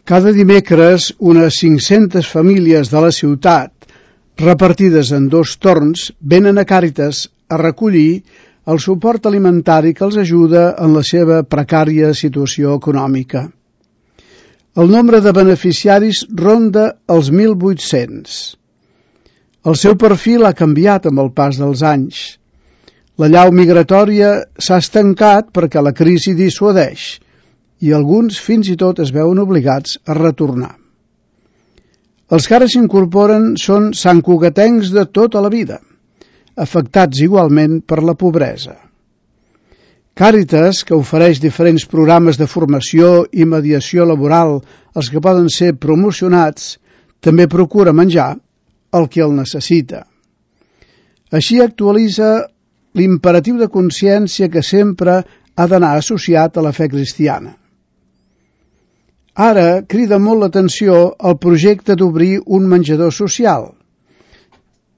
Cada dimecres, unes 500 famílies de la ciutat, repartides en 2 torns, venen a Càritas a recollir el suport alimentari que els ajuda en la seva precària situació econòmica. El nombre de beneficiaris ronda els 1.800. El seu perfil ha canviat amb el pas dels anys. La llau migratòria s'ha estancat perquè la crisi dissuadeix i alguns fins i tot es veuen obligats a retornar. Els que ara s'incorporen són santcugatencs de tota la vida, afectats igualment per la pobresa. Càritas, que ofereix diferents programes de formació i mediació laboral als que poden ser promocionats, també procura menjar el que el necessita. Així actualitza l'imperatiu de consciència que sempre ha d'anar associat a la fe cristiana. Ara crida molt l'atenció el projecte d'obrir un menjador social.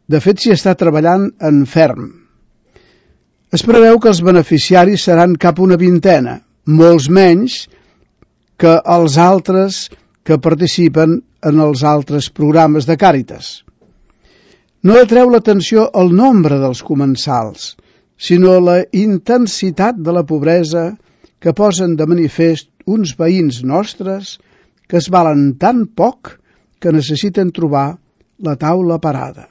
De fet, s'hi està treballant en ferm. Es preveu que els beneficiaris seran cap una vintena, molts menys que els altres que participen en els altres programes de Càritas. No atreu l'atenció el nombre dels comensals, sinó la intensitat de la pobresa que posen de manifest uns veïns nostres que es valen tan poc que necessiten trobar la taula parada.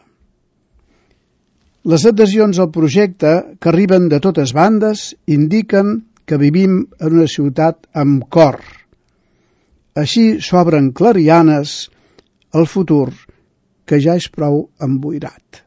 Les adhesions al projecte, que arriben de totes bandes, indiquen que vivim en una ciutat amb cor. Així s'obren clarianes al futur que ja és prou emboirat.